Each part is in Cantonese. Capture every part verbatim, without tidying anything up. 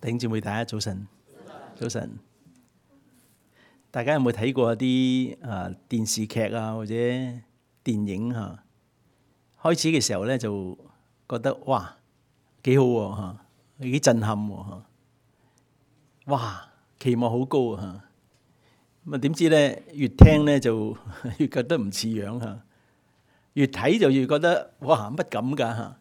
弟兄姊妹，大家早晨，早晨。大家有冇睇過啲啊電視劇啊或者電影嚇？開始嘅時候咧就覺得哇幾好喎嚇，幾震撼喎嚇，哇期望好高啊嚇。咁啊點知咧越聽咧就越覺得唔似樣嚇，越睇就越覺得哇乜咁㗎嚇。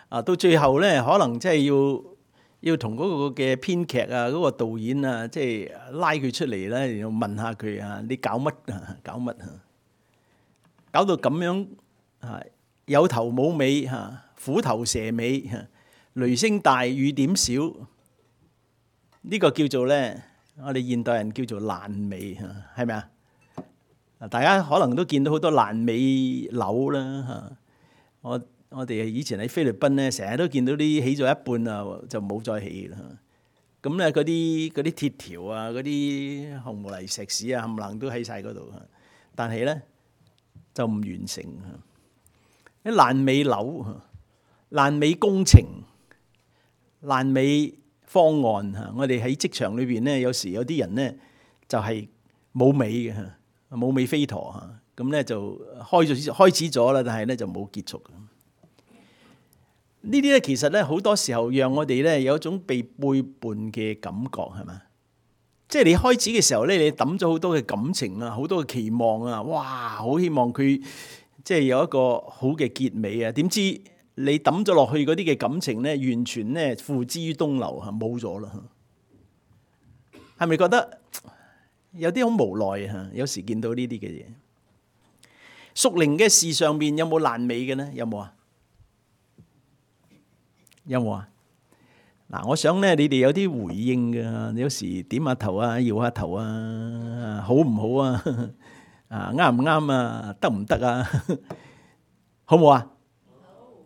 啊到最後咧可能真係要要同嗰個嘅編劇啊、嗰個導演啊，即係拉佢出嚟咧，然後問下佢啊，你搞乜啊？搞乜啊？搞到咁樣啊，有頭冇尾嚇，虎頭蛇尾嚇，雷聲大雨點少，呢個叫做咧，我哋現代人叫做爛尾嚇，係咪啊？啊，大家可能都見到好多爛尾樓啦嚇，我。我哋以前喺菲律賓咧，成日都見到啲起咗一半啊，就冇再起啦。咁咧嗰啲嗰啲鐵條啊，嗰啲紅毛泥石屎啊，冚唪唥都喺晒嗰度。但係咧就唔完成。啲爛尾樓、爛尾工程、爛尾方案嚇，我哋喺職場裏邊咧，有時有啲人咧就係冇尾嘅，冇尾飛陀嚇。咁咧就開咗開始咗啦，但係咧就冇結束。呢啲咧其實咧好多時候讓我哋咧有一種被背叛嘅感覺，係嘛？即係你開始嘅時候咧，你抌咗好多嘅感情啊，好多嘅期望啊，哇！好希望佢即係有一個好嘅結尾啊。點知你抌咗落去嗰啲嘅感情咧，完全咧付之於東流嚇，冇咗啦。係咪覺得有啲好無奈啊？有時見到呢啲嘅嘢，屬靈嘅事上面有冇爛尾嘅咧？有冇啊？有冇啊？嗱，我想咧，你哋有啲回應㗎。你有時點下頭啊，搖下頭啊，好唔好啊？啊，啱唔啱啊？得唔得啊？好唔好啊？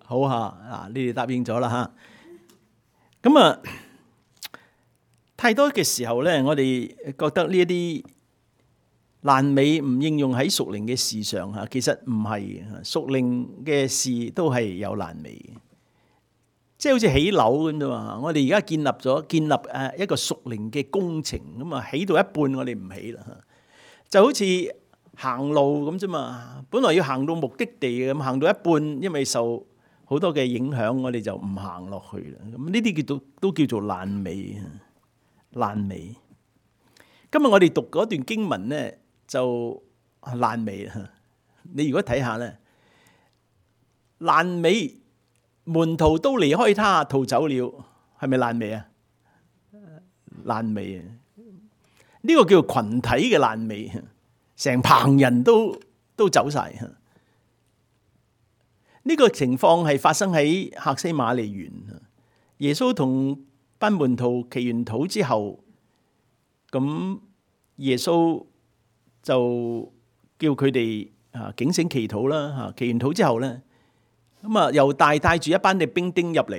好嚇，啊，你哋答應咗啦嚇。咁啊，太多嘅時候咧，我哋覺得呢一啲爛尾唔應用喺屬靈嘅事上嚇，其實唔係，屬靈嘅事都係有爛尾。即係好似起樓咁啫嘛，我哋而家建立咗建立誒一個屬靈嘅工程咁啊，起到一半我哋唔起啦，就好似行路咁啫嘛。本來要行到目的地咁，行到一半，因為受好多嘅影響，我哋就唔行落去啦。咁呢啲叫做都叫做爛尾，爛尾。今日我哋讀嗰段經文咧，就爛尾啦。你如果睇下咧，爛尾。門徒都離開他逃走了，係咪爛尾啊？爛尾啊！呢個叫做群體嘅爛尾，成棚人都都走晒。呢個情況係發生喺客西馬尼園。耶穌同班門徒祈完禱之後，咁耶穌就叫佢哋啊警醒祈禱啦。吓，祈完禱之後咧。咁啊，猶大帶住一班嘅兵丁入嚟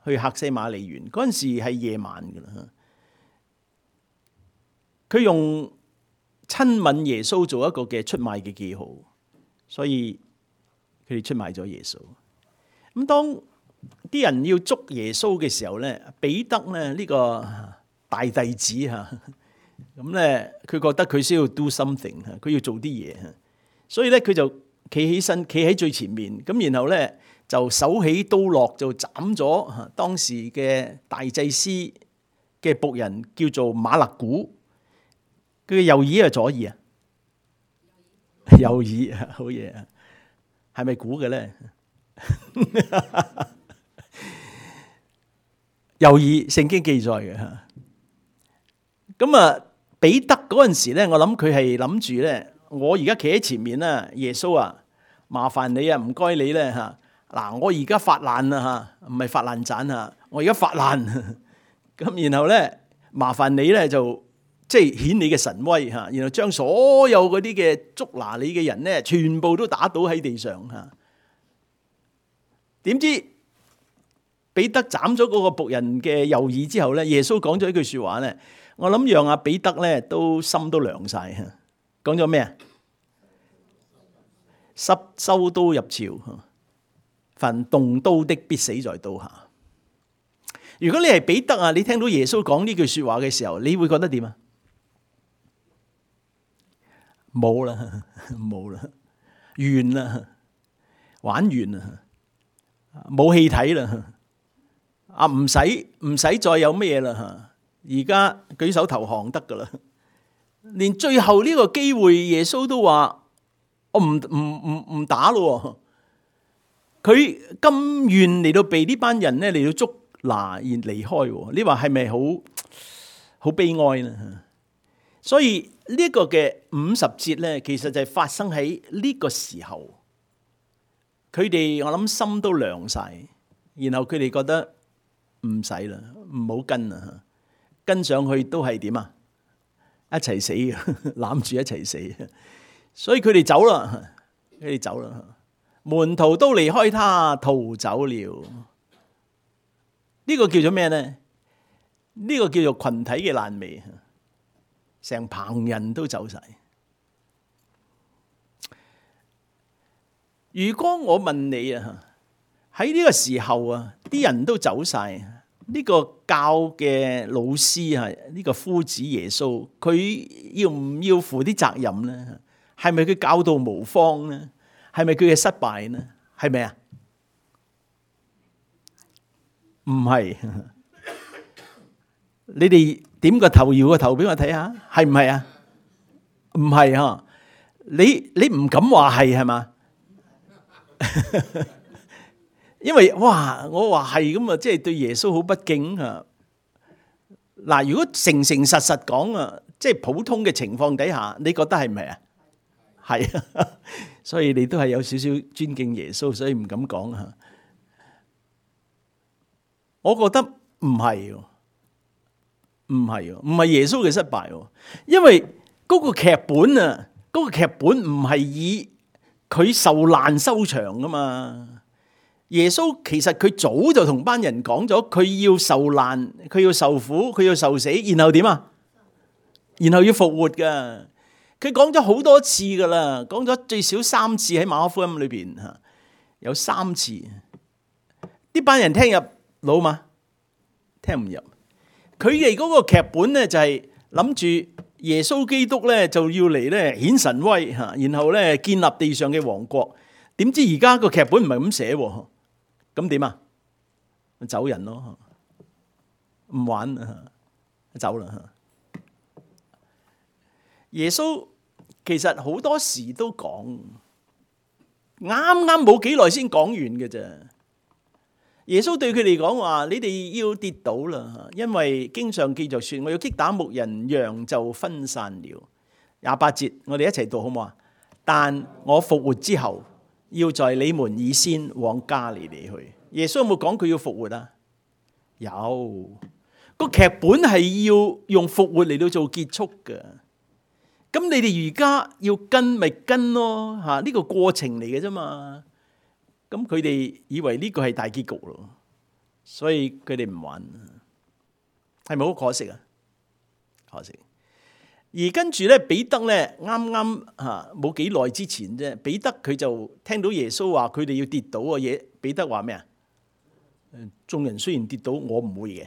去客西馬尼園，嗰陣時係夜晚㗎啦。佢用親吻耶穌做一個嘅出賣嘅記號，所以佢哋出賣咗耶穌。咁當啲人要捉耶穌嘅時候咧，彼得咧呢個大弟子嚇，咁咧佢覺得佢需要 do something，佢要做啲嘢，所以咧佢就企起身，企喺最前面，咁然後咧就手起刀落，就斬咗當時嘅大祭司嘅僕人，叫做馬勒古。佢嘅右耳係左耳啊？右耳，好嘢啊！係咪估嘅咧？右耳，聖經記載嘅嚇。咁啊，彼得嗰陣時咧，我諗佢係諗住咧。我而家企喺前面啦，耶穌啊，麻煩你啊，唔該你咧嚇。嗱，我而家發爛啦嚇，唔係發爛渣嚇，我而家發爛。咁然後咧，麻煩你咧就即係顯你嘅神威嚇，然後將所有嗰啲嘅捉拿你嘅人咧，全部都打倒喺地上嚇。點知彼得斬咗嗰個僕人嘅右耳之後咧，耶穌講咗一句説話咧，我諗讓阿彼得咧都心都涼晒嚇。講咗咩啊？濕收刀入鞘，凡動刀的必死在刀下。如果你係彼得啊，你聽到耶穌講呢句說話嘅時候，你會覺得點啊？冇啦，冇啦，完啦，玩完啦，冇氣睇啦，啊唔使唔使再有咩啦，而家舉手投降得噶啦，連最後呢個機會，耶穌都話我唔唔唔唔打咯，佢甘願嚟到被呢班人咧嚟到捉拿而離開，你話係咪好好悲哀呢？所以呢一個嘅五十節咧，其實就係發生喺呢個時候，佢哋我諗心都涼晒，然後佢哋覺得唔使啦，唔好跟啦，跟上去都係點啊？一齊死嘅，攬住一齊死，所以佢哋走啦，佢哋走啦，門徒都離開他逃走了。呢個叫做咩呢？呢個叫做群體嘅爛尾，成棚人都走晒。如果我問你啊，喺呢個時候啊，啲人都走晒，呢個教嘅老師啊，呢個夫子耶穌，佢要唔要負啲責任呢？係咪佢教導無方呢？係咪佢嘅失敗呢？係咪啊？唔係，你哋點個頭搖個頭俾我睇下，係唔係啊？唔係吓，你你唔敢話係係嘛？因為哇，我話係咁啊，即係對耶穌好不敬啊！嗱，如果誠誠實實講啊，即係普通嘅情況底下，你覺得係唔係啊？係啊，所以你都係有少少尊敬耶穌，所以唔敢講啊。我覺得唔係，唔係，唔係耶穌嘅失敗，因為嗰個劇本啊，嗰個劇本唔係以佢受難收場噶嘛。耶穌其實佢早就同班人講咗，佢要受難，佢要受苦，佢要受死，然後點啊？然後要復活噶。佢講咗好多次噶啦，講咗最少三次喺馬可福音裏邊吓，有三次。呢班人聽入腦嘛？聽唔入。佢哋嗰個劇本咧就係諗住耶穌基督咧就要嚟咧顯神威吓，然後咧建立地上嘅王國。點知而家個劇本唔係咁寫，咁點啊？走人咯，唔玩啦，走啦。耶穌其實好多時都講，啱啱冇幾耐先講完嘅啫。耶穌對佢哋講話：你哋要跌倒啦，因為經上記着說，我要擊打牧人，羊就分散了。廿八節，我哋一齊讀好唔好啊？但我復活之後，要在你們以先往加利利去。耶穌有冇講佢要復活啊？有，個劇本係要用復活嚟到做結束嘅。咁你哋而家要跟咪跟咯，吓，呢個過程嚟嘅啫嘛。咁佢哋以為呢個係大結局咯，所以佢哋唔玩，係咪好可惜啊？可惜。而跟住咧，彼得咧啱啱吓冇幾耐之前啫，彼得佢就聽到耶穌話佢哋要跌倒嘅嘢。彼得話咩啊？眾人雖然跌倒，我唔會嘅。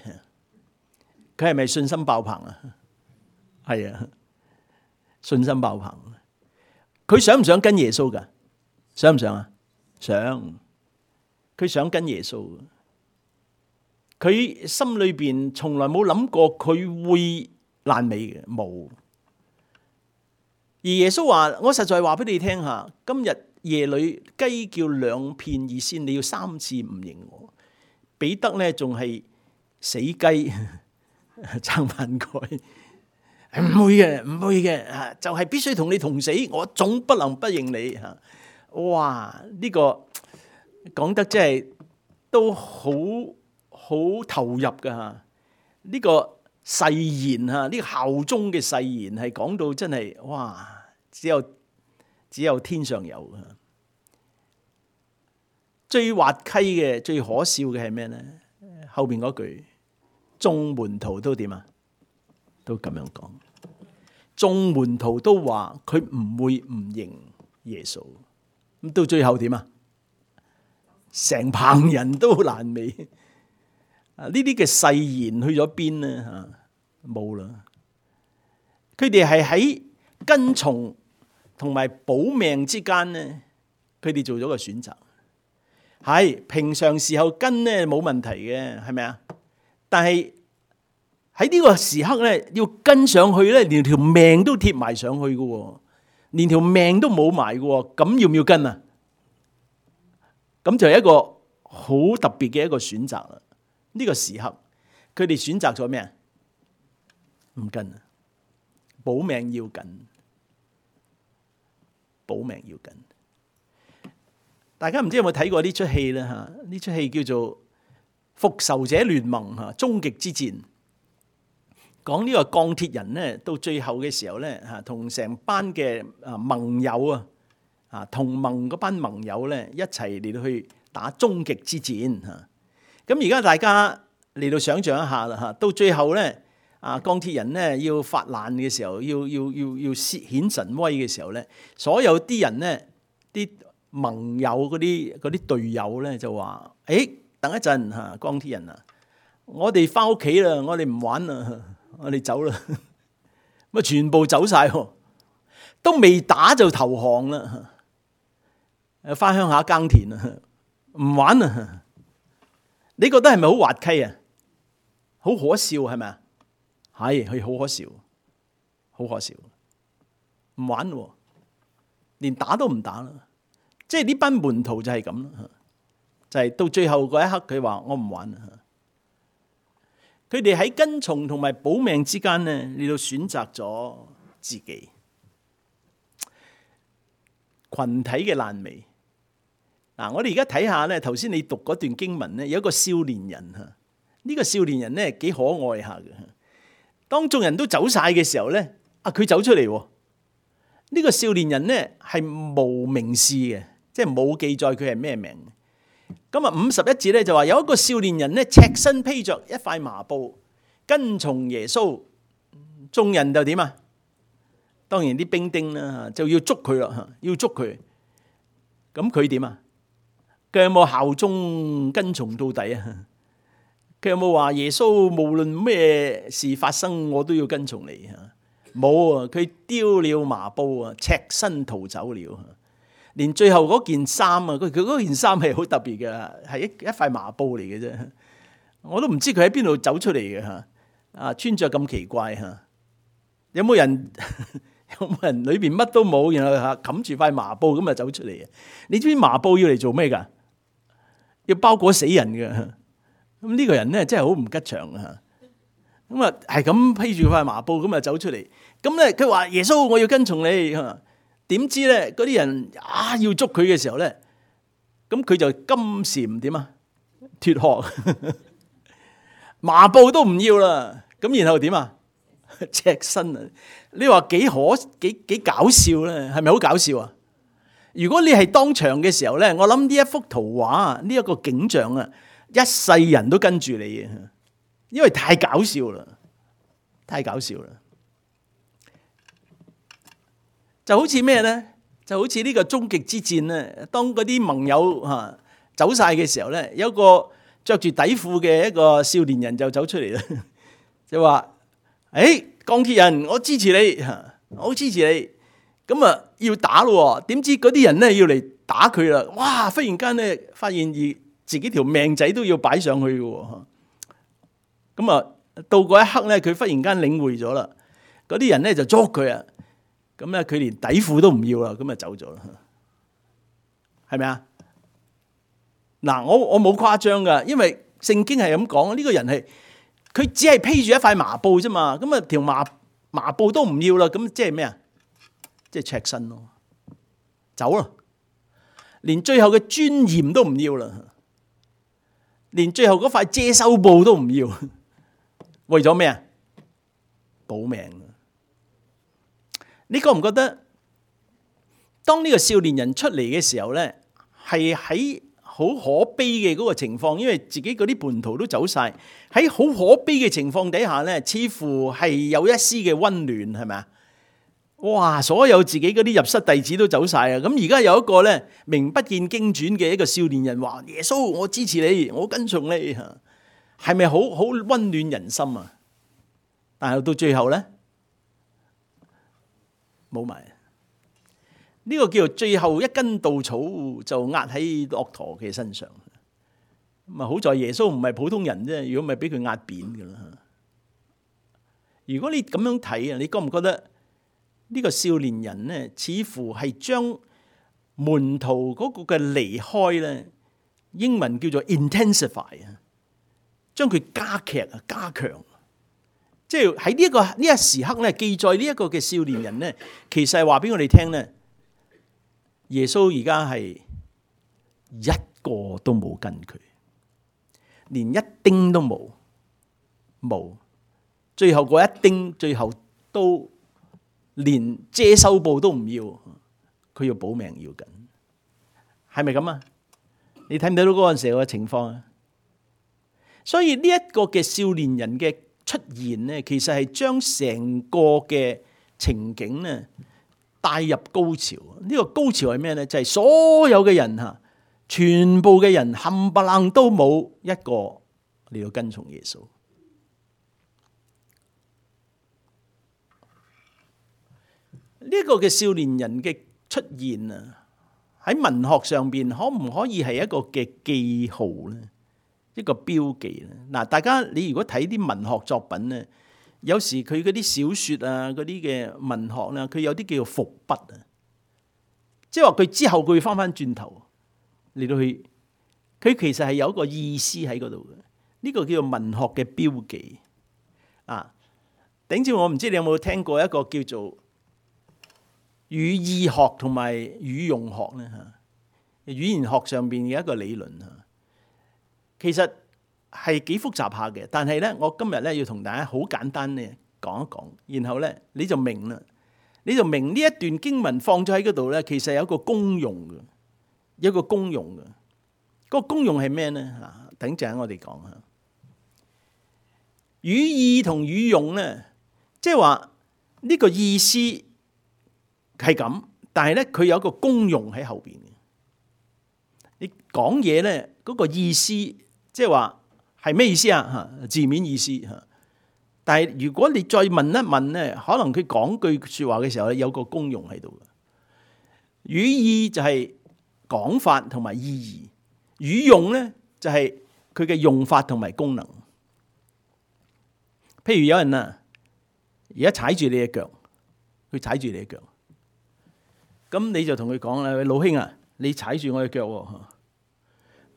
佢係咪信心爆棚啊？係啊，信心爆棚。佢想唔想跟耶穌噶？想唔想啊？想。佢想跟耶穌。佢心裏邊從來冇諗過佢會爛尾嘅，冇。而耶穌話：我實在話俾你聽下，今日夜裏雞叫兩片以先，你要三次唔認我。彼得咧仲係死雞撐飯蓋，唔會嘅，唔會嘅，就係必須同你同死，我總不能不認你吓。哇！呢個講得真係都好好投入噶吓。呢個誓言吓，呢個效忠嘅誓言係講到真係哇！只有只有天上有。最滑稽嘅、最可笑嘅係咩呢？後邊嗰句，眾門徒都點啊？都咁樣講，眾門徒都話佢唔會唔認耶穌。咁到最後點啊？成棚人都爛尾。啊，呢啲嘅誓言去咗邊呢？嚇，冇啦。佢哋係喺跟從同埋保命之間呢，佢哋做咗個選擇。係平常時候跟呢冇問題嘅，係咪啊？但係喺呢個時刻咧，要跟上去咧，連條命都貼埋上去嘅喎，連條命都冇埋嘅喎，咁要唔要跟啊？咁就係一個好特別嘅一個選擇啦。呢個時刻，佢哋選擇咗咩啊？唔跟啊，保命要緊，保命要緊。大家唔知有冇睇過呢出戲咧？嚇，呢出戲叫做《復仇者聯盟》嚇，終極之戰，講呢個鋼鐵人咧，到最後嘅時候咧嚇，同成班嘅啊盟友啊啊同盟嗰班盟友咧一齊嚟到去打終極之戰嚇。咁而家大家嚟到想象一下啦嚇，到最後咧啊鋼鐵人咧要發難嘅時候，要要要要顯神威嘅時候咧，所有啲人咧啲盟友嗰啲嗰啲隊友咧就話：誒，等一陣嚇，鋼鐵人啊，我哋翻屋企啦，我哋唔玩啦，我哋走啦。咁啊，全部走晒，都未打就投降啦，誒，翻鄉下耕田啊，唔玩啊！你覺得係咪好滑稽啊？好可笑係咪啊？係，係好可笑，好可笑，唔玩喎，連打都唔打啦。即係呢班門徒就係咁啦，就係、是、到最後嗰一刻，佢話我唔玩啦。佢哋喺跟從同埋保命之間咧，你都選擇咗自己。群體嘅爛尾。嗱，我哋而家睇下咧，頭先你讀嗰段經文咧，有一個少年人嚇，呢、這個少年人咧幾可愛下嘅。當眾人都走晒嘅時候咧，啊佢走出嚟喎。呢、這個少年人咧係無名氏嘅。即係冇記載佢係咩名。咁啊，五十一節咧就話有一個少年人咧，赤身披着一塊麻布，跟從耶穌。眾人就點啊？當然啲兵丁啦，就要捉佢啦，要捉佢。咁佢點啊？佢有冇效忠跟從到底啊？佢有冇話耶穌無論咩事發生，我都要跟從你啊？冇啊！佢丟了麻布啊，赤身逃走了。連最後嗰件衫啊，佢佢嗰件衫係好特別嘅，係一一塊麻布嚟嘅啫。我都唔知佢喺邊度走出嚟嘅嚇。啊，穿着咁奇怪嚇，有冇人有冇人裏邊乜都冇，然後嚇冚住塊麻布咁啊走出嚟啊？你知唔知麻布要嚟做咩㗎？要包裹死人嘅。咁呢個人咧真係好唔吉祥啊！咁啊係咁披住塊麻布咁啊走出嚟。咁咧佢話耶穌，我要跟從你。點知咧嗰啲人啊要捉佢嘅時候咧，咁佢就金蟬點啊脫殼，麻布都唔要啦。咁然後點啊赤身啊？你話幾可幾幾搞笑咧？係咪好搞笑啊？如果你係當場嘅時候咧，我諗呢一幅圖畫呢一個景象啊，一世人都跟住你嘅，因為太搞笑啦，太搞笑啦。就好似咩咧？就好似呢個終極之戰咧。當嗰啲盟友嚇走晒嘅時候咧，有個着住底褲嘅一個少年人就走出嚟啦，就話：誒，鋼鐵人，我支持你，我支持你。咁啊，要打咯。點知嗰啲人咧要嚟打佢啦！哇！忽然間咧，發現而自己條命仔都要擺上去嘅。咁啊，到嗰一刻咧，佢忽然間領會咗啦。嗰啲人咧就捉佢啊！咁咧，佢連底褲都唔要啦，咁就走咗啦，係咪啊？嗱，我我冇誇張噶，因為聖經係咁講，呢個人係佢只係披住一塊麻布啫嘛，咁啊條麻麻布都唔要啦，咁即係咩啊？即係赤身咯，走啦，連最後嘅尊嚴都唔要啦，連最後嗰塊遮羞布都唔要，為咗咩啊？保命。你覺唔覺得，當呢個少年人出嚟嘅時候咧，係喺好可悲嘅嗰個情況，因為自己嗰啲叛徒都走晒，喺好可悲嘅情況底下咧，似乎係有一絲嘅溫暖，係咪啊？哇！所有自己嗰啲入室弟子都走晒啊！咁而家有一個咧名不見經傳嘅一個少年人話：耶穌，我支持你，我跟從你，係咪好好溫暖人心啊？但係到最後咧，冇埋。呢個叫做最後一根稻草就壓喺駱駝嘅身上。咁啊，好在耶穌唔係普通人啫，如果唔係俾佢壓扁噶啦。如果你咁樣睇啊，你覺唔覺得呢個少年人咧，似乎係將門徒嗰個嘅離開咧，英文叫做 intensify 啊，將佢加劇啊、加強。即係喺呢一個呢一時刻咧，記載呢一個嘅少年人咧，其實係話俾我哋聽咧，耶穌而家係一個都冇跟佢，連一丁都冇，冇。最後嗰一丁，最後都連遮羞布都唔要，佢要保命要緊，係咪咁啊？你睇唔睇到嗰陣時候嘅情況啊？所以呢一個嘅少年人嘅出現咧，其實係將成個嘅情景咧帶入高潮。呢個高潮係咩咧？就係所有嘅人吓，全部嘅人冚唪唥都冇一個嚟到跟從耶穌。呢個嘅少年人嘅出現啊，喺文學上邊可唔可以係一個嘅記號咧？一個標記咧？嗱，大家你如果睇啲文學作品咧，有時佢嗰啲小說啊，嗰啲嘅文學咧，佢有啲叫做伏筆啊，即係話佢之後佢會翻翻轉頭嚟到去，佢其實係有一個意思喺嗰度嘅。呢個叫做文學嘅標記啊。頂住我唔知你有冇聽過一個叫做語意學同埋語用學咧嚇，語言學上邊嘅一個理論嚇，其實係幾複雜下嘅。但係咧，我今日咧要同大家好簡單咧講一講，然後咧你就明啦，你就明呢一段經文放咗喺嗰度咧，其實有一個功用嘅，有一個功用嘅。嗰個功用係咩咧？嚇，等陣我哋講下語意同語用咧，即係話呢個意思係咁，但係咧佢有一個功用喺後邊嘅。你講嘢咧嗰個意思，即係話係咩意思啊？嚇，字面意思嚇。但係如果你再問一問咧，可能佢講句説話嘅時候咧，有個功用喺度嘅。語意就係講法同埋意義，語用咧就係佢嘅用法同埋功能。譬如有人啊，而家踩住你嘅腳，佢踩住你嘅腳。咁你就同佢講啦，老兄啊，你踩住我嘅腳喎。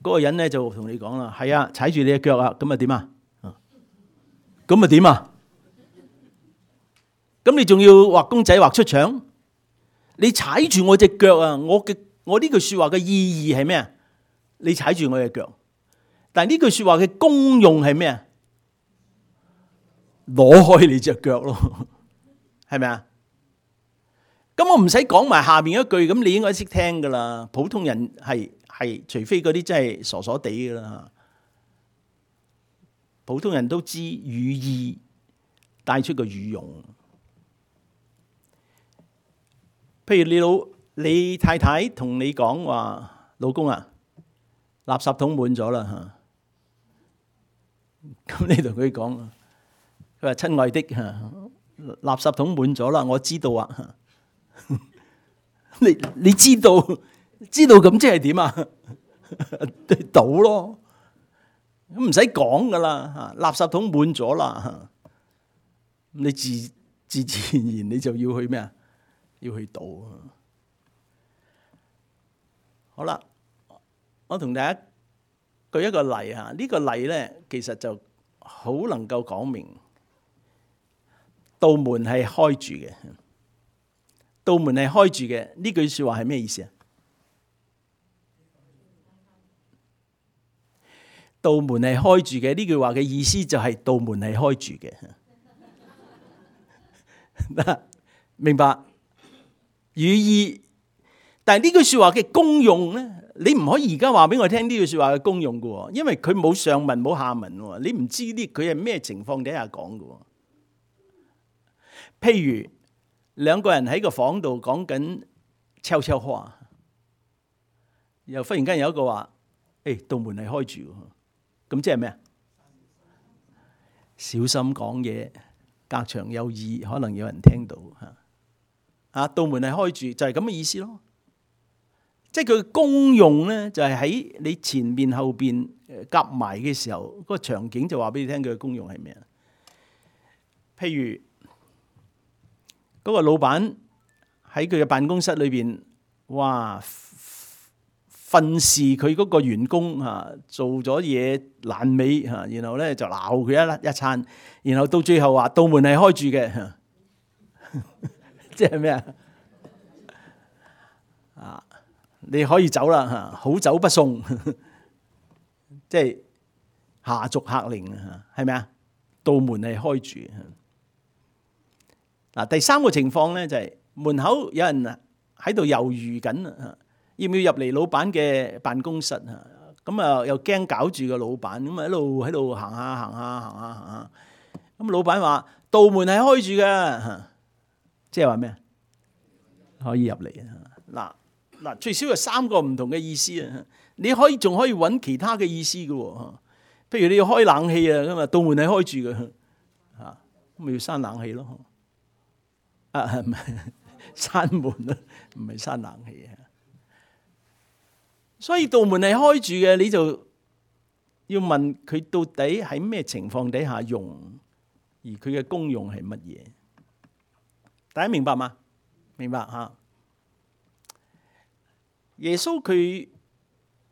嗰個人咧就同你講啦，係啊，踩住你嘅腳啊，咁啊點啊？咁啊點啊？咁你仲要畫公仔畫出腸？你踩住我隻腳啊！我嘅我呢句說話嘅意義係咩啊？你踩住我嘅腳，但係呢句說話嘅功用係咩啊？攞開你隻腳咯，係咪啊？咁我唔使講埋下面一句，咁你應該識聽噶啦。普通人係係，除非嗰啲真係傻傻地噶啦。普通人都知語意帶出個語用。譬如你老你太太同你講話，老公啊，垃圾桶滿咗啦吓。咁你同佢講，佢話親愛的吓，垃圾桶滿咗啦，我知道啊。你你知道知道咁即係點啊？倒咯，咁唔使講噶啦吓，垃圾桶滿咗啦，你自自自然然你就要去咩啊？要去倒。好啦，我同大家舉一個例吓，呢個例咧其實就好能夠講明道門係開住嘅。道門係開住嘅，呢句說話係咩意思啊？道門係開住嘅，呢句話嘅意思就係道門係開住嘅。明白語意，但係呢句說話嘅功用咧，你唔可以而家話俾我聽呢句說話嘅功用嘅，因為佢冇上文冇下文，你唔知呢佢係咩情況底下講嘅。譬如兩個人喺個房度講緊悄悄話，又忽然間有一個話：誒，道門係開住，咁即係咩啊？小心講嘢，隔牆有耳，可能有人聽到嚇。啊，道門係開住，就係咁嘅意思咯。即係佢嘅功用咧，就係喺你前面後邊夾埋嘅時候，嗰個場景就話俾你聽佢嘅功用係咩啊？譬如嗰個老闆喺佢嘅辦公室裏邊，哇！訓示佢嗰個員工嚇做咗嘢爛尾嚇，然後咧就鬧佢一一餐，然後到最後話道門係開住嘅，即係咩啊？啊，你可以走啦嚇，好走不送，即係下逐客令啊，係咪啊？道門係開住。嗱，第三個情況咧就係門口有人喺度猶豫緊啊。要唔要入嚟老闆嘅辦公室啊？咁啊又驚搞住個老闆，咁啊一路喺度行下行下行下行下。咁老闆話道門係開住嘅，即係話咩啊？可以入嚟啊！嗱嗱，最少有三個唔同嘅意思啊！你可以仲可以揾其他嘅意思嘅喎。譬如你要開冷氣啊，咁啊道門係開住嘅，嚇咁咪要閂冷氣咯。啊唔係閂門咯，唔係閂冷氣啊。所以道門係開住嘅，你就要問佢到底喺咩情況底下用，而佢嘅功用係乜嘢？大家明白嗎？明白嚇。耶穌佢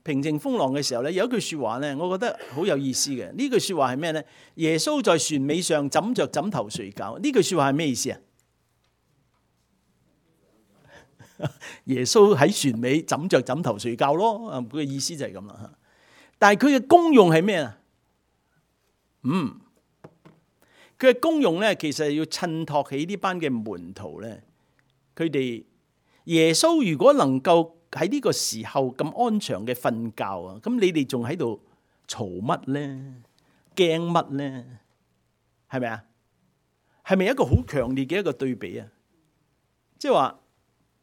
平靜風浪嘅時候咧，有一句説話咧，我覺得好有意思嘅。呢句説話係咩咧？耶穌在船尾上枕着枕頭睡覺。呢句説話係咩意思啊？耶穌喺船尾枕着枕頭睡覺咯，佢嘅意思就係咁啦。但係佢嘅功用係咩啊？嗯，佢嘅功用咧，其實係要襯托起呢班嘅門徒咧。佢哋耶穌如果能夠喺呢個時候咁安詳嘅瞓覺啊，咁你哋仲喺度嘈乜咧？驚乜咧？係咪啊？係咪一個好強烈嘅一個對比啊？即係話。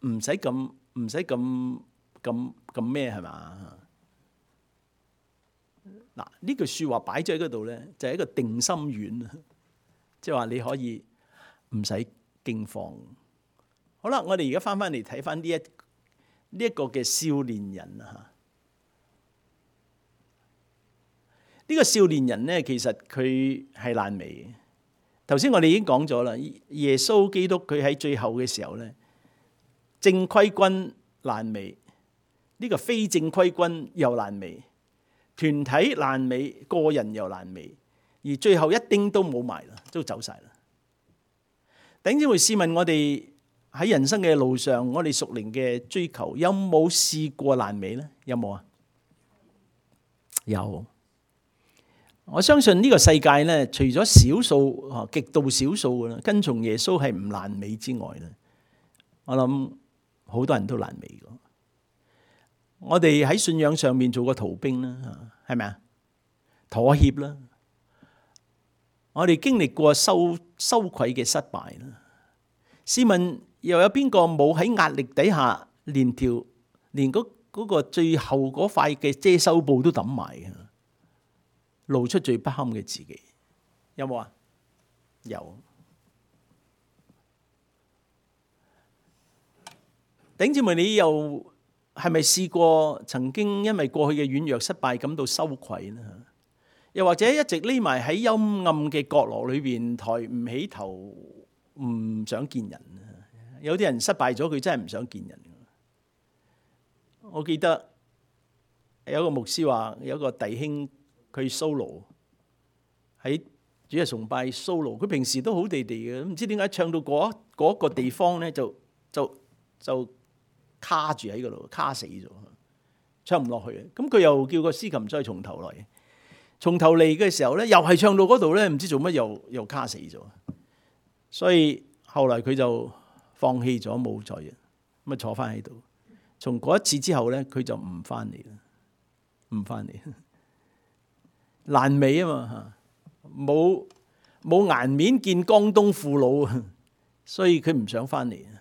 唔使咁，唔使咁咁咁咩係嘛？嗱，呢句説話擺咗喺嗰度咧，就係一個定心丸啊！即係話你可以唔使驚慌。好啦，我哋而家翻翻嚟睇翻呢一呢一個嘅少年人啊！呢個少年人咧，其實佢係爛尾嘅。頭先我哋已經講咗啦，耶穌基督佢喺最後嘅時候咧。正規軍爛尾，呢個非正規軍又爛尾，團體爛尾，個人又爛尾，而最後一丁都冇埋啦，都走晒啦。弟兄姊妹，試問我哋喺人生嘅路上，我哋屬靈嘅追求有冇試過爛尾呢？有冇啊？有。我相信呢個世界呢，除咗少數啊，極度少數嘅啦，跟從耶穌係唔爛尾之外咧，我諗。好多人都爛尾嘅，我哋喺信仰上面做過逃兵啦，係咪啊？妥協啦，我哋經歷過羞羞愧嘅失敗啦。試問又有邊個冇喺壓力底下連條連嗰嗰個最後嗰塊嘅遮羞布都抌埋嘅，露出最不堪嘅自己？有冇啊？有。弟兄姊妹，你又係咪試過曾經因為過去嘅軟弱失敗感到羞愧呢？又或者一直匿埋喺幽暗嘅角落裏邊，抬唔起頭，唔想見人？有啲人失敗咗，佢真係唔想見人。我記得有一個牧師話，有一個弟兄佢 solo 喺主日崇拜 solo，佢平時都好地地嘅，唔知點解唱到嗰嗰個地方咧，就就就卡住喺嗰度，卡死咗，唱唔落去。咁佢又叫個司琴再從頭嚟，從頭嚟嘅時候咧，又係唱到嗰度咧，唔知做乜又又卡死咗。所以後來佢就放棄咗，冇再咁啊，坐翻喺度。從嗰一次之後咧，佢就唔翻嚟啦，唔翻嚟，爛尾啊嘛嚇，冇冇顏面見江東父老，所以佢唔想翻嚟啊。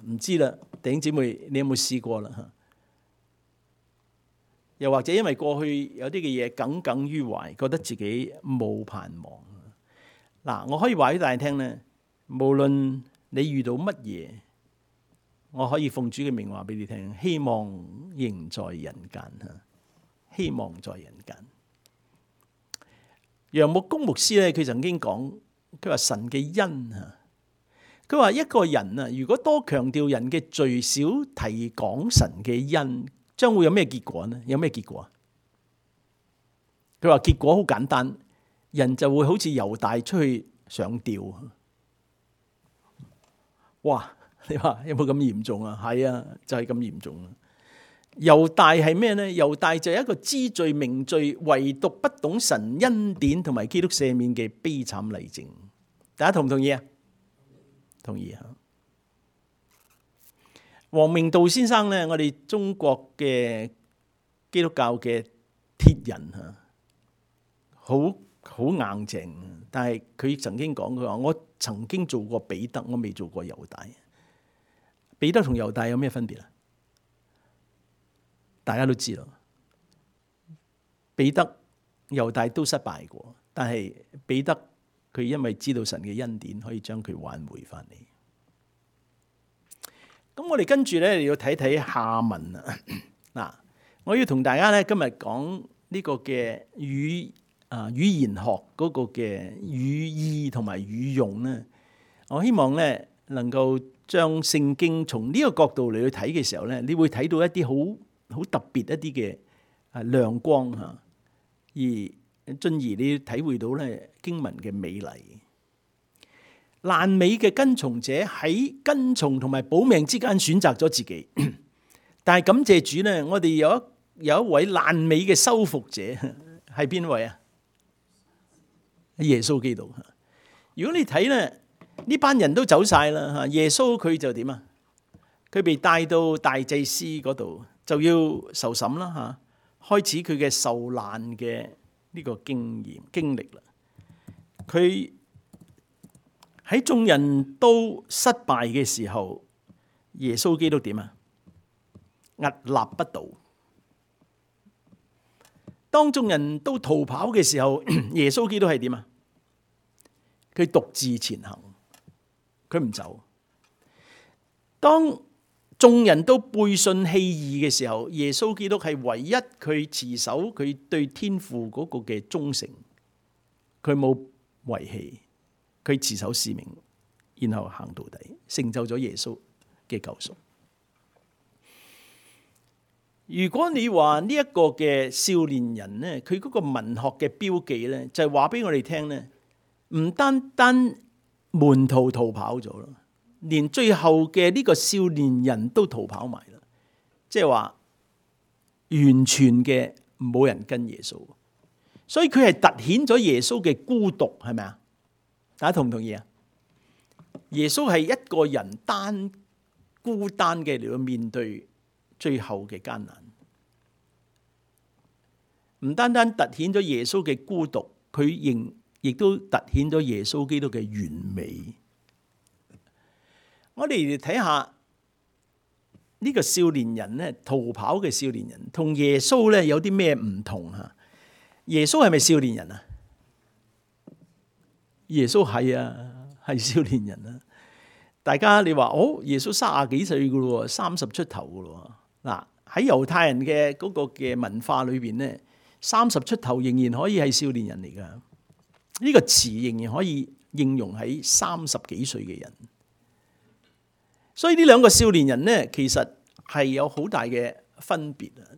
唔知啦，弟兄姊妹，你有冇試過啦？又或者因為過去有啲嘅嘢耿耿於懷，覺得自己冇盼望，嗱，我可以話俾大家聽咧，無論你遇到乜嘢，我可以奉主嘅名話俾你聽，希望仍在人間吓，希望在人間。楊牧公牧師咧，佢曾經講，佢話神嘅恩啊，佢話一個人啊，如果多強調人嘅罪，少提講神嘅恩，將會有咩結果呢？有咩結果啊？佢話結果好簡單，人就會好似猶大出去上吊。哇！你話有冇咁嚴重啊？係啊，就係咁嚴重啊！猶大係咩呢？猶大就係一個知罪明罪，唯獨不懂神恩典同埋基督赦免嘅悲慘例證。大家同唔同意啊？同意啊！王明道先生呢，我哋中國嘅基督教嘅鐵人吓，好好硬淨。但係佢曾經講，佢話我曾經做過彼得，我未做過猶大。彼得同猶大有咩分別啊？大家都知道，彼得、猶大都失敗過，但係彼得佢因為知道神嘅恩典，可以將佢挽回翻嚟。咁我哋跟住咧要睇睇下文啊。嗱，我要同大家咧今日講呢個嘅語啊語言學嗰個嘅語義同埋語用咧，我希望咧能夠將聖經從呢個角度嚟去睇嘅時候咧，你會睇到一啲好好特別一啲嘅啊亮光吓，而進而你體會到咧經文嘅美麗。爛尾嘅跟從者喺跟從同埋保命之間選擇咗自己，但係感謝主咧，我哋有一有一位爛尾嘅修復者，係邊位啊？耶穌基督。如果你睇咧，呢班人都走晒啦吓，耶穌佢就點啊？佢被帶到大祭司嗰度，就要受審啦吓，開始佢嘅受難嘅呢個經驗經歷啦。佢喺眾人都失敗嘅時候，耶穌基督點啊？屹立不倒。當眾人都逃跑嘅時候，耶穌基督係點啊？佢獨自前行，佢唔走。當眾人都背信棄義嘅時候，耶穌基督係唯一佢持守佢對天父嗰個嘅忠誠，佢冇遺棄，佢持守使命，然後行到底，成就咗耶穌嘅救贖。如果你話呢一個嘅少年人呢，佢嗰個文學嘅標記呢，就係話俾我哋聽呢，唔單單門徒逃跑咗咯，連最後嘅呢個少年人都逃跑埋啦，即係話完全嘅冇人跟耶穌，所以佢係凸顯咗耶穌嘅孤獨，係咪啊？大家同唔同意啊？耶穌係一個人單孤單嘅嚟到面對最後嘅艱難，唔單單凸顯咗耶穌嘅孤獨，佢仍亦都凸顯咗耶穌基督嘅完美。我哋嚟睇下呢個少年人咧，逃跑嘅少年人同耶穌咧有啲咩唔同吓？耶穌係咪少年人啊？耶穌係啊，係少年人啊！大家你話哦，耶穌三十幾歲噶咯，三十出頭噶咯。嗱，喺猶太人嘅嗰個嘅文化裏邊咧，三十出頭仍然可以係少年人嚟噶。呢個詞仍然可以應用喺三十幾歲嘅人。所以呢兩個少年人咧，其實係有好大嘅分別啊！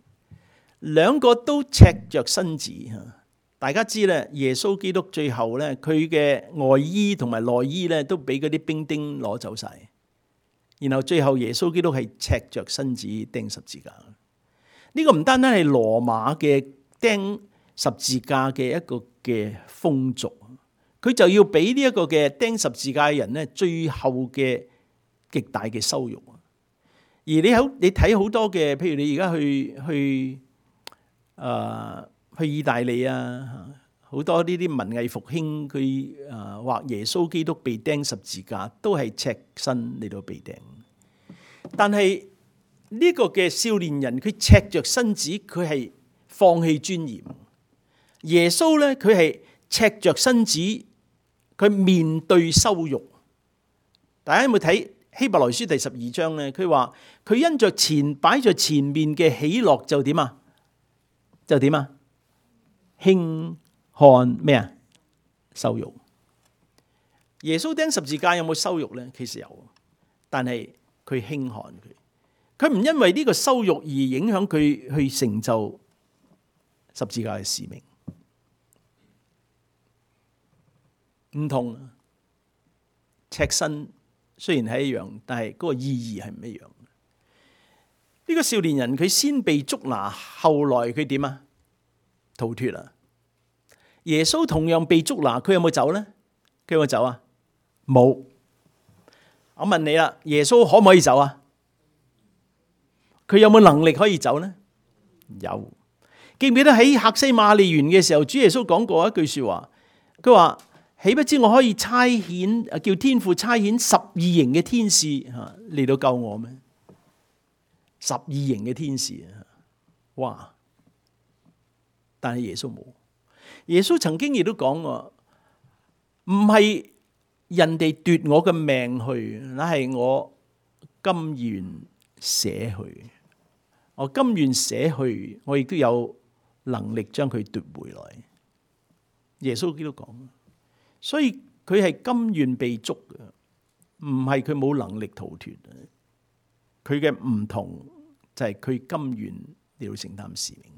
兩個都赤着身子吓。大家知咧，耶穌基督最後咧，佢嘅外衣同埋內衣咧，都俾嗰啲兵丁攞走晒。然後最後耶穌基督係赤着身子釘十字架。呢個唔單單係羅馬嘅釘十字架嘅一個嘅風俗，佢就要俾呢一個嘅釘十字架嘅人咧，最後嘅極大嘅羞辱。而你好，你睇好多嘅，譬如你而家去去誒。呃去意大利啊，好多呢啲文藝復興，佢誒畫耶穌基督被釘十字架，都係赤身嚟到被釘。但係呢個嘅少年人，佢赤着身子，佢係放棄尊嚴。耶穌咧，佢係赤着身子，佢面對羞辱。大家有冇睇希伯來書第十二章咧？佢話佢因着前擺在前面嘅喜樂就點啊？就點啊？輕看咩啊？羞辱。耶穌釘十字架有冇羞辱咧？其實有，但係佢輕看佢。佢唔因為呢個羞辱而影響佢去成就十字架嘅使命。唔同，赤身雖然係一樣，但係嗰個意義係唔一樣。呢個少年人佢先被捉拿，後來佢點啊？逃脫啊！耶穌同樣被捉拿，佢有冇走呢？佢有冇走啊？冇。我問你啦，耶穌可唔可以走啊？佢有冇能力可以走呢？有。記唔記得喺客西馬尼園嘅時候，主耶穌講過一句說話，佢話：豈不知我可以差遣叫天父差遣十二營嘅天使吓嚟到救我咩？十二營嘅天使啊！哇！但係耶穌冇。耶穌曾經亦都講過，唔係人哋奪我嘅命去，乃係我甘願捨去。我甘願捨去，我亦都有能力將佢奪回來。耶穌基督講，所以佢係甘願被捉嘅，唔係佢冇能力逃脫。佢嘅唔同就係佢甘願嚟到承擔使命。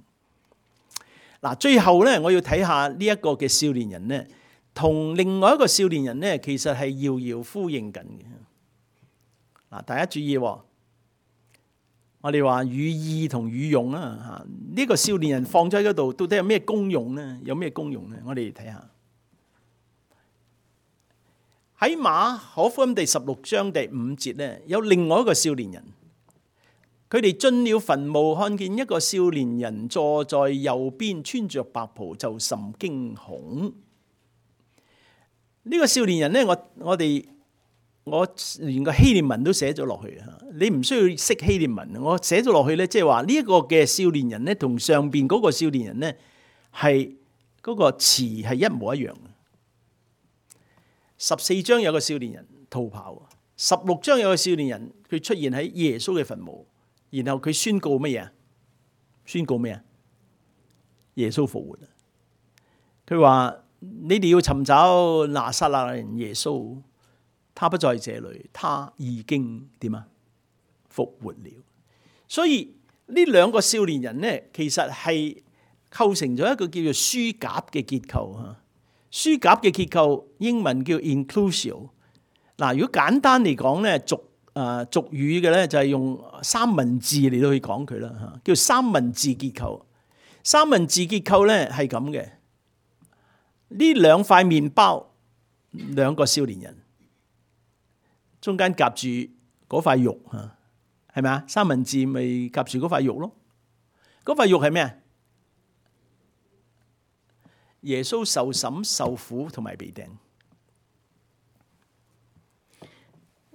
嗱，最後咧，我要睇下呢一個嘅少年人咧，同另外一個少年人咧，其實係遙遙呼應緊嘅。嗱，大家注意，我哋話與義同與用啊，吓、這、呢個少年人放咗喺嗰度，到底有咩功用咧？有咩功用咧？我哋嚟睇下喺馬可福音第十六章第五節咧，有另外一個少年人。佢哋進了墳墓，看見一個少年人坐在右邊，穿着白袍，就甚驚恐。呢、這個少年人呢，我我哋我連個希臘文都寫咗落去啊！你唔需要識希臘文，我寫咗落去呢，即係話呢一個嘅少年人呢，同上邊嗰個少年人呢，係嗰個詞係一模一樣。十四章有個少年人逃跑，十六章有個少年人佢出現喺耶穌嘅墳墓。然後佢宣告乜嘢？宣告咩啊？耶穌復活。佢話：你哋要尋找拿撒勒人耶穌，他不在這裏，他已經點啊？復活了。所以呢兩個少年人呢，其實係構成咗一個叫做書甲嘅結構吓。書甲嘅結構英文叫 inclusio。嗱，如果簡單嚟講咧，俗誒俗語嘅咧就係用三文治嚟到去講佢啦嚇，叫三文治結構。三文治結構咧係咁嘅，呢兩塊麵包，兩個少年人，中間夾住嗰塊肉嚇，係咪啊？三文治咪夾住嗰塊肉咯，嗰塊肉係咩啊？耶穌受審、受苦同埋被釘。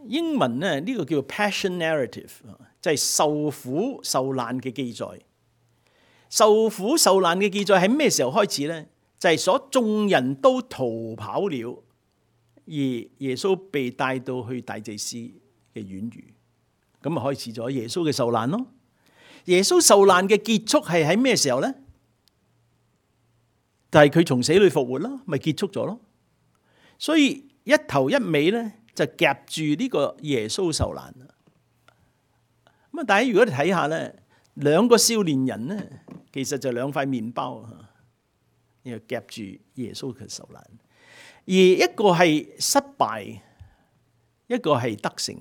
英文咧呢個叫做 Passion Narrative， 就係受苦受難嘅記載。受苦受難嘅記載喺咩時候開始呢？就係所眾人都逃跑了，而耶穌被帶到去大祭司嘅院宇，咁啊開始咗耶穌嘅受難咯。耶穌受難嘅結束係喺咩時候呢？就係佢從死裏復活咯，咪結束咗咯。所以一頭一尾呢，就夾住呢個耶穌受難。咁啊，大家如果你睇下咧，兩個少年人咧，其實就兩塊麵包，然後夾住耶穌嘅受難。而一個係失敗，一個係得勝。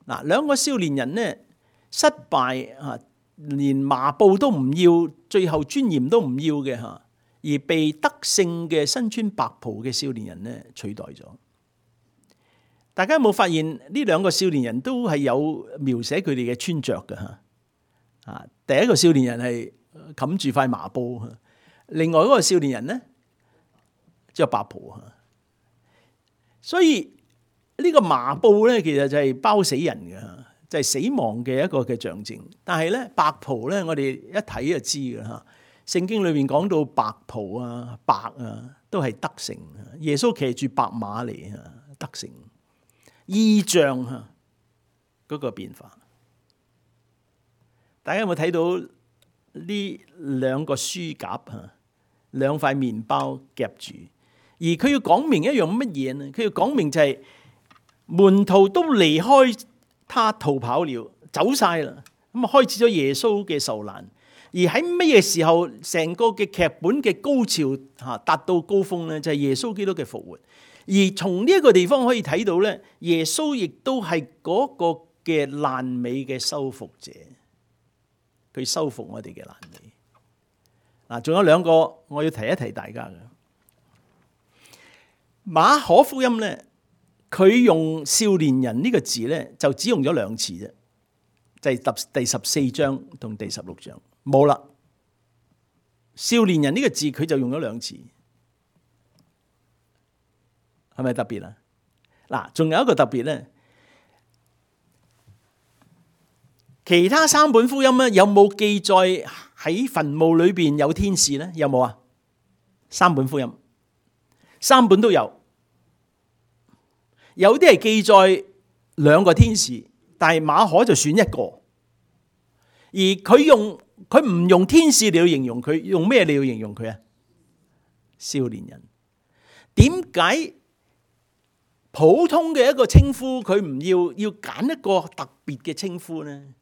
嗱，兩個少年人咧失敗啊，連麻布都唔要，最後尊嚴都唔要嘅嚇，而被得勝嘅身穿白袍嘅少年人咧取代咗。大家有冇發現呢兩個少年人都係有描寫佢哋嘅穿着嘅嚇？啊，第一個少年人係冚住塊麻布，另外嗰個少年人咧着白袍嚇。所以呢個麻布咧，其實就係包死人嘅，就係死亡嘅一個嘅象徵。但係咧白袍咧，我哋一睇就知嘅嚇。聖經裏面講到白袍啊、白啊，都係得成。耶穌騎住白馬嚟，得成異象啊，嗰個變化。大家有冇睇到呢兩個書夾啊？兩塊麵包夾住，而佢要講明一樣乜嘢呢？佢要講明就係門徒都離開他逃跑了，走晒啦。咁啊，開始咗耶穌嘅受難。而喺乜嘢時候，成個嘅劇本嘅高潮吓達到高峰呢？就係耶穌基督嘅復活。而從呢一個地方可以睇到咧，耶穌亦都係嗰個嘅爛尾嘅修復者，佢修復我哋嘅爛尾。嗱，仲有兩個我要提一提大家嘅。馬可福音咧，佢用少年人呢個字咧，就只用咗兩次啫，就係第十四章同第十六章。冇啦，少年人呢個字佢就用咗兩次，係咪特別啊？嗱，仲有一個特別咧，其他三本福音咧有冇記載喺墳墓裏邊有天使咧？有冇啊？三本福音，三本都有，有啲係記載兩個天使，但係馬可就選一個，而佢用。佢唔用天使嚟形容佢，用咩嚟形容佢啊？少年人。點解普通嘅一個稱呼佢唔要，要揀一個特別嘅稱呼呢？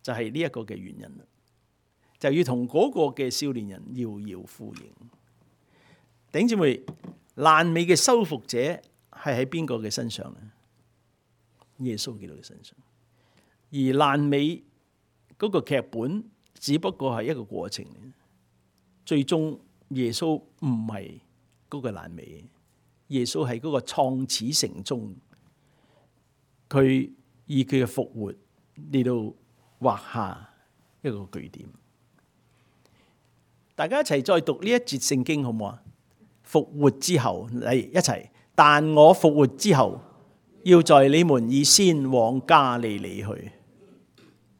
就係呢一個嘅原因啦，就要同嗰個嘅少年人遙遙呼應。弟兄姊妹，爛尾嘅修復者係喺邊個嘅身上呢？耶穌基督嘅身上。而爛尾嗰個劇本只不過係一個過程，最終耶穌唔係嗰個爛尾，耶穌係嗰個創始成終，佢以佢嘅復活嚟到畫下一個句點。大家一齊再讀呢一節聖經好唔好啊？復活之後嚟一齊，但我復活之後，要在你們以先往加利利去。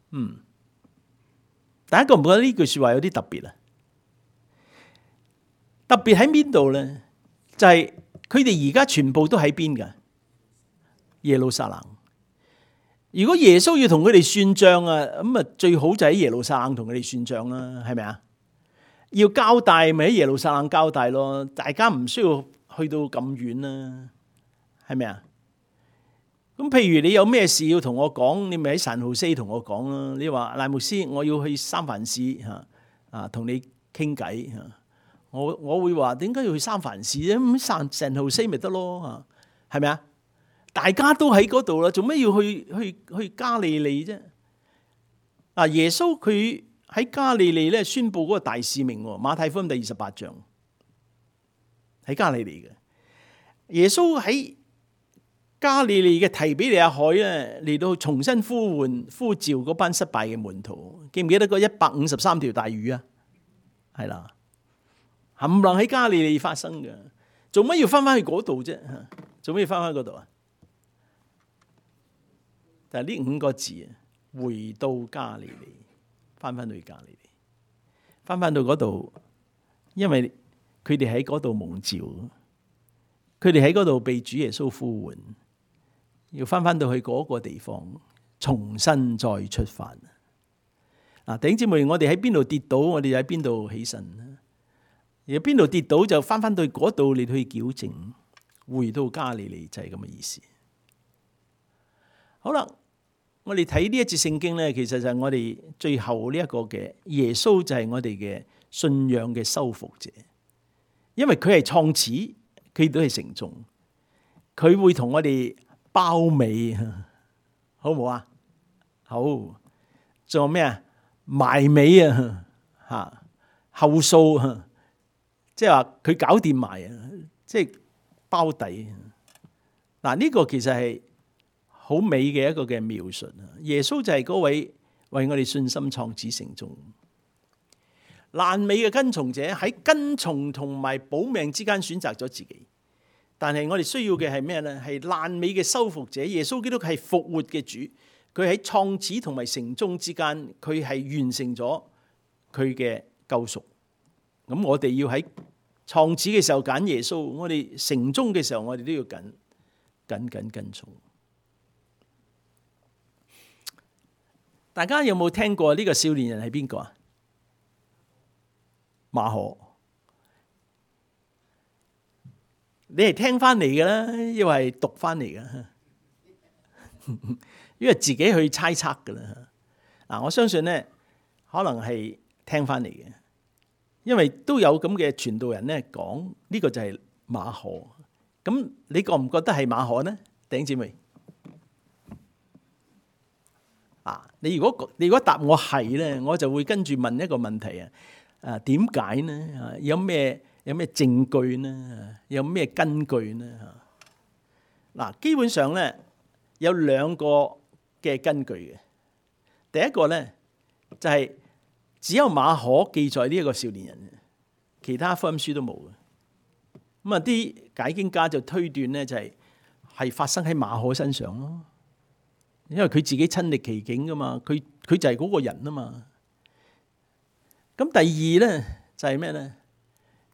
嗯。大家覺唔覺得呢句說話有啲特別啊？特別喺邊度咧？就係佢哋而家全部都喺邊噶？耶路撒冷。如果耶穌要同佢哋算賬啊，咁啊最好就喺耶路撒冷同佢哋算賬啦，係咪啊？要交代咪喺耶路撒冷交代咯，大家唔需要去到咁遠啦，係咪啊？咁譬如你有咩事要同我講，你咪喺San Jose同我講啦。你話賴牧師，我要去三藩市嚇啊，同你傾偈嚇。我我會話點解要去三藩市啫？咁San San Jose咪得咯嚇，係咪啊？大家都喺嗰度啦，做咩要去去去加利利啫？嗱，耶穌佢喺加利利咧宣佈嗰個大使命喎，馬太福音第二十八章喺加利利嘅。耶穌喺加利利嘅提比利亞海咧，嚟到重新呼喚呼召嗰班失敗嘅門徒，記唔記得嗰一百五十三條大魚啊？係啦，冚唪唥喺加利利發生嘅，做乜要翻翻去嗰度啫？做乜要翻翻嗰度啊？但係呢五個字啊，回到加利利，翻翻去加利利，翻翻到嗰度，因為佢哋喺嗰度蒙召，佢哋喺嗰度被主耶穌呼喚。要翻翻到去嗰個地方，重新再出發。嗱，弟兄姊妹，我哋喺邊度跌倒，我哋就喺邊度起身。而邊度跌倒就翻翻到嗰度嚟去矯正，回到加利利就係咁嘅意思。好啦，我哋睇呢一節聖經咧，其實就係我哋最後呢一個嘅耶穌就係我哋嘅信仰嘅修復者，因為佢係創始，佢都係成終，佢會同我哋包尾，好唔好啊？好，仲有咩啊？埋尾啊，吓後數啊，即係話佢搞掂埋啊，即係包底。嗱，呢個其實係好美嘅一個嘅描述啊！耶穌就係嗰位為我哋信心創始成終。爛尾嘅跟從者喺跟從同埋保命之間選擇咗自己。但係我哋需要嘅係咩咧？係爛尾嘅修復者。耶穌基督係復活嘅主，佢喺創始同埋成終之間，佢係完成咗佢嘅救贖。咁我哋要喺創始嘅時候揀耶穌，我哋成終嘅時候我哋都要緊緊緊跟從。大家有冇聽過呢個少年人係邊個啊？馬可。你係聽翻嚟嘅啦，因為係讀翻嚟嘅，因為自己去猜測嘅啦。嗱，我相信咧，可能係聽翻嚟嘅，因為都有咁嘅傳道人咧講呢個就係馬可。咁你覺唔覺得係馬可呢？弟兄姊妹，啊，你如果你如果答我係咧，我就會跟住問一個問題啊，啊，點解呢？啊，有咩？有咩證據呢？有咩根據呢？嗱，基本上咧有兩個嘅根據嘅。第一個咧就係只有馬可記載呢一個少年人，其他福音書都冇嘅。咁啊，啲解經家就推斷咧就係係發生喺馬可身上咯，因為佢自己親歷其境噶嘛，佢佢就係嗰個人啊嘛。咁第二咧就係咩咧？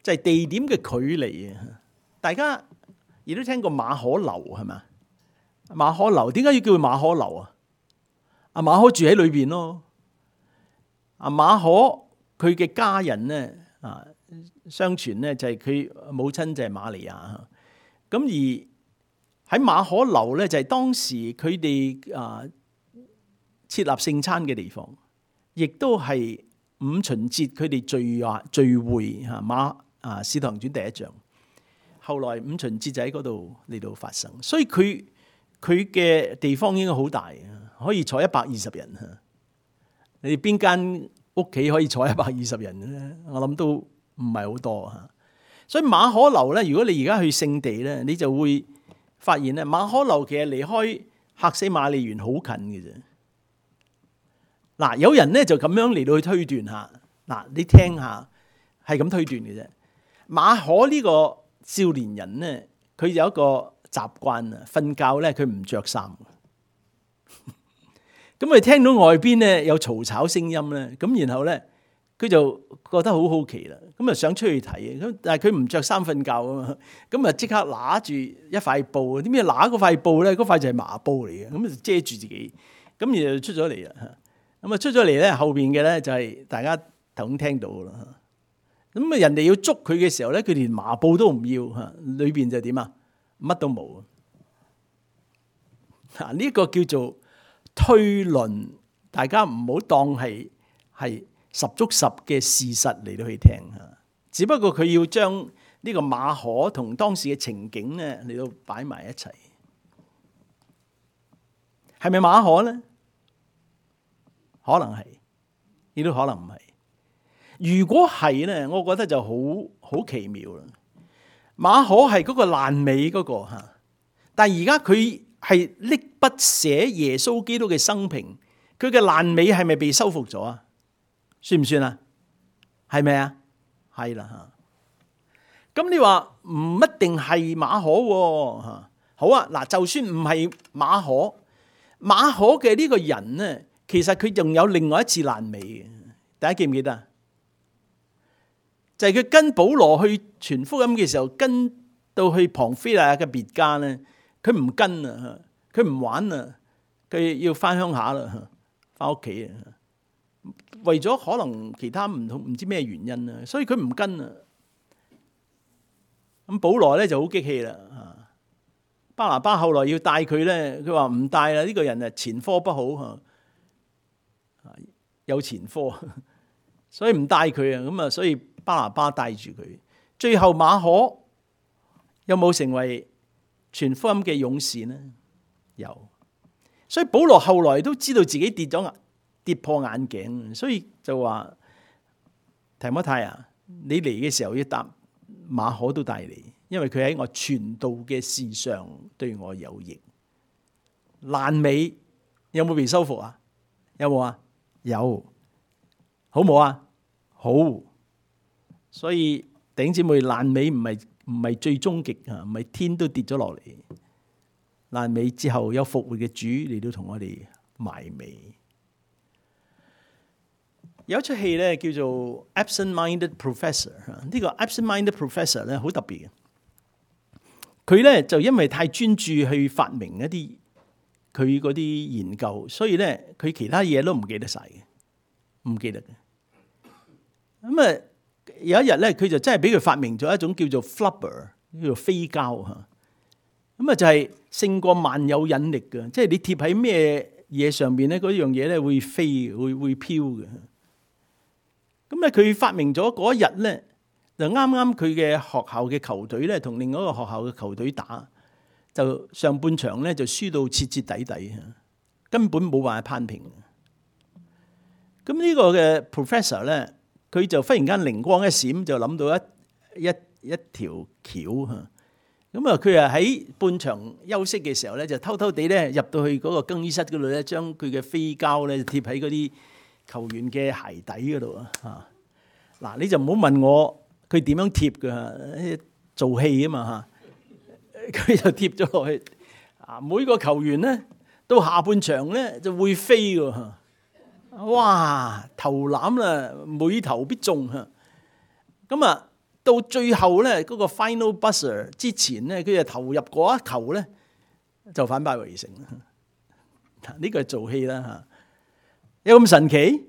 就係地點嘅距離啊！大家亦都聽過馬可樓係咪？馬可樓點解要叫佢馬可樓啊？阿馬可住喺裏邊咯。阿馬可佢嘅家人咧啊，相傳咧就係佢母親就係瑪利亞。咁而喺馬可樓咧就係當時佢哋啊設立聖餐嘅地方，亦都係五旬節佢哋聚啊聚會嚇馬。啊，《使徒行傳》第一章，後來五旬節就喺嗰度嚟到發生，所以佢佢嘅地方應該好大啊，可以坐一百二十人啊！你哋邊間屋企可以坐一百二十人咧？我諗都唔係好多嚇。所以馬可樓咧，如果你而家去聖地咧，你就會發現咧，馬可樓其實離開客西馬尼園好近嘅啫。嗱，有人咧就咁樣嚟到去推斷下，嗱，你聽下，係咁推斷嘅啫。馬可呢個少年人咧，佢有一個習慣啊，瞓覺咧佢唔着衫。咁佢聽到外邊咧有嘈吵聲音咧，咁然後咧佢就覺得好好奇啦，咁啊想出去睇，咁但係佢唔着衫瞓覺啊嘛，咁啊即刻拿住一塊布，點解拿嗰塊布咧？嗰塊就係麻布嚟嘅，咁啊遮住自己，咁然後出咗嚟啦。咁啊出咗嚟咧，後邊嘅咧就係大家頭先聽到啦。咁啊！人哋要捉佢嘅時候咧，佢連麻布都唔要嚇，裏邊就點啊？乜都冇啊！呢個叫做推論，大家唔好當係係十足十嘅事實嚟到去聽嚇。只不過佢要將呢個馬可同當時嘅情景咧嚟到擺埋一齊，係咪馬可咧？可能係，亦都可能唔係。如果係咧，我覺得就好好奇妙啦。馬可係嗰個爛尾嗰個嚇，但係而家佢係搦筆寫耶穌基督嘅生平，佢嘅爛尾係咪被修復咗啊？算唔算啊？係咪啊？係啦嚇。咁你話唔一定係馬可喎嚇。好啊，嗱，就算唔係馬可，馬可嘅呢個人咧，其實佢仲有另外一次爛尾嘅。大家記唔記得啊？就係佢跟保羅去傳福音嘅時候，跟到去旁非利亞嘅別家咧，佢唔跟啊，佢唔玩啊，佢要翻鄉下啦，翻屋企啊，為咗可能其他唔同唔知咩原因啊，所以佢唔跟啊。咁保羅咧就好激氣啦，巴拿巴後來要帶佢咧，佢話唔帶啦，呢個人啊前科不好嚇，有前科，所以唔帶佢啊，咁啊所以。巴拿巴帶住佢，最後馬可有冇成為傳福音嘅勇士呢？有，所以保羅後來都知道自己跌咗跌破眼鏡，所以就話提摩太啊，你嚟嘅時候要搭馬可都帶嚟，因為佢喺我傳道嘅事上對我有益。爛尾有冇被修復啊？有冇啊？有，好冇啊？好。所以弟兄姊妹，爛尾唔係唔係最終極啊，唔係天都跌咗落嚟。爛尾之後有復活嘅主嚟到同我哋埋尾。有一出戲咧叫做 Absent-Minded Professor， 呢個 Absent-Minded Professor 咧好特別嘅。佢咧就因為太專注去發明一啲佢嗰啲研究，所以咧佢其他嘢都唔記得晒嘅，唔記得嘅。咁啊有一日咧，佢就真係俾佢發明咗一種叫做 flubber， 叫做飛膠嚇。咁啊就係勝過萬有引力嘅，即係你貼喺咩嘢上邊咧，嗰樣嘢咧會飛，會會飄嘅。咁咧佢發明咗嗰一日咧，就啱啱佢嘅學校嘅球隊咧，同另外一個學校嘅球隊打，就上半場咧就輸到徹徹底底，根本冇辦法攀平。咁呢個嘅 professor 咧，佢就忽然間靈光一閃，就諗到一一一條橋嚇。咁啊，佢啊喺半場休息嘅時候咧，就偷偷地咧入到去嗰個更衣室嗰度咧，將佢嘅飛膠咧貼喺嗰啲球員嘅鞋底嗰度啊！嚇嗱，你就唔好問我佢點樣貼㗎，做戲啊嘛嚇，佢就貼咗落去啊！每個球員咧到下半場咧就會飛㗎嚇，哇！投籃啦，每投必中嚇，咁啊〜到最後咧，嗰個 final buzzer 之前咧，佢就投入嗰一球咧，就反敗為勝。嗱，呢個係做戲啦嚇，有咁神奇？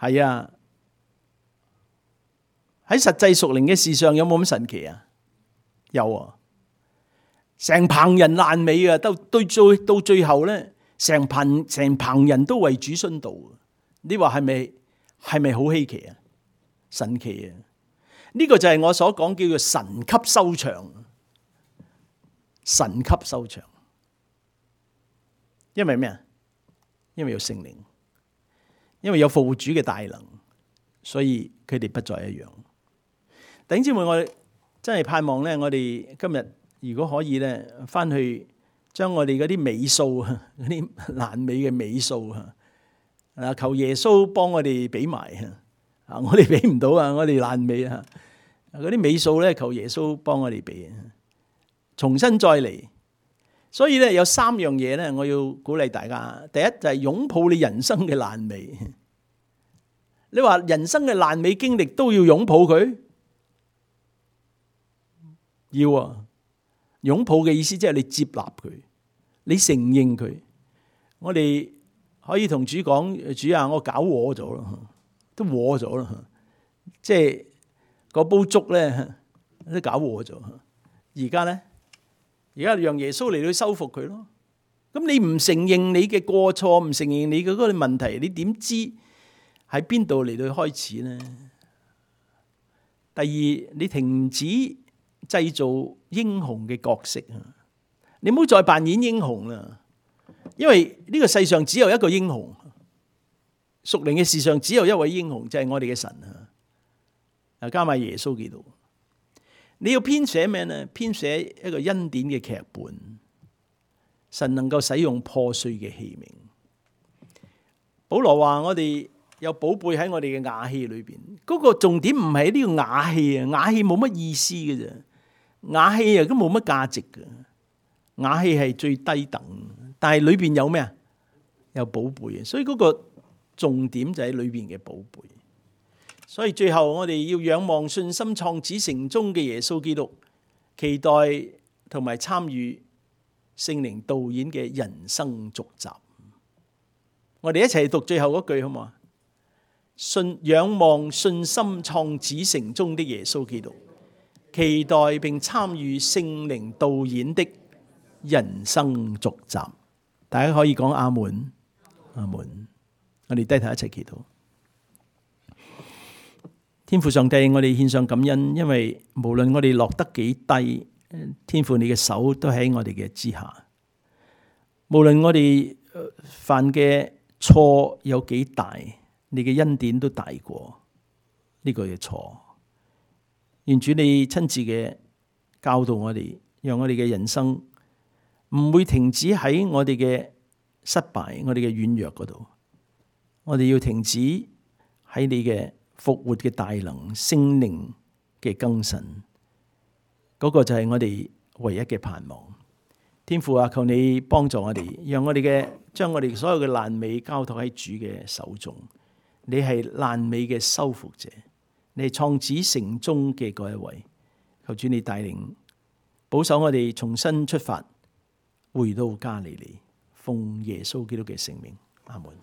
係啊，喺實際屬靈嘅事上有冇咁神奇啊？有啊，成棚人爛尾啊，到對最到最後咧，成棚成棚人都為主殉道。你話係咪係咪好稀奇啊？神奇啊！呢個就係我所講叫做神級收場，神級收場，因為咩啊？因為有聖靈，因為有復活主嘅大能，所以佢哋不再一樣。弟兄姊妹，我真係盼望咧，我哋今日如果可以咧，翻去將我哋嗰啲尾數啊，嗰啲爛尾嘅尾數啊，啊求耶穌幫我哋俾埋啊，我哋俾唔到啊，我哋爛尾啊。嗰啲尾數咧，求耶穌幫我哋俾，重新再嚟。所以咧有三樣嘢咧，我要鼓勵大家。第一就係擁抱你人生嘅爛尾。你話人生嘅爛尾經歷都要擁抱佢？要啊！擁抱嘅意思即係你接納佢，你承認佢。我哋可以同主講：主啊，我搞禍咗咯，都禍咗啦，即係。嗰煲粥咧都搞禍咗，而家咧，而家讓耶穌嚟到修復佢咯。咁你唔承認你嘅過錯，唔承認你嘅嗰個問題，你點知喺邊度嚟到開始呢？第二，你停止製造英雄嘅角色啊！你唔好再扮演英雄啦，因為呢個世上只有一個英雄，屬靈嘅事上只有一位英雄，就係我哋嘅神啊！啊，加埋耶穌基督，你要編寫咩呢？編寫一個恩典嘅劇本，神能夠使用破碎嘅器皿。保羅話：我哋有寶貝喺我哋嘅瓦器裏邊。嗰個重點唔係呢個瓦器啊，瓦器冇乜意思嘅啫，瓦器啊都冇乜價值嘅，瓦器係最低等，但係裏邊有咩啊？有寶貝啊，所以嗰個重點就喺裏邊嘅寶貝。所以最後我哋要仰望信心創始成終嘅耶穌基督，期待同埋參與聖靈導演嘅人生續集。我哋一齊讀最後嗰句好唔好啊？信仰望信心創始成終的耶穌基督，期待並參與聖靈導演的人生續集。大家可以講阿門，阿門。我哋低頭一齊祈禱。天父上帝，我哋獻上感恩，因為無論我哋落得幾低，天父你嘅手都喺我哋嘅之下。無論我哋犯嘅錯有幾大，你嘅恩典都大過呢個嘅錯。願主你親自嘅教導我哋，讓我哋嘅人生唔會停止喺我哋嘅失敗、我哋嘅軟弱嗰度。我哋要停止喺你嘅復活嘅大能、聖靈嘅更新，嗰個就係我哋唯一嘅盼望。天父啊，求你幫助我哋，讓我哋嘅將我哋所有嘅爛尾交託喺主嘅手中。你係爛尾嘅修復者，你係創始成終嘅嗰一位。求主你帶領保守我哋重新出發，回到加利利，奉耶穌基督嘅聖名，阿門。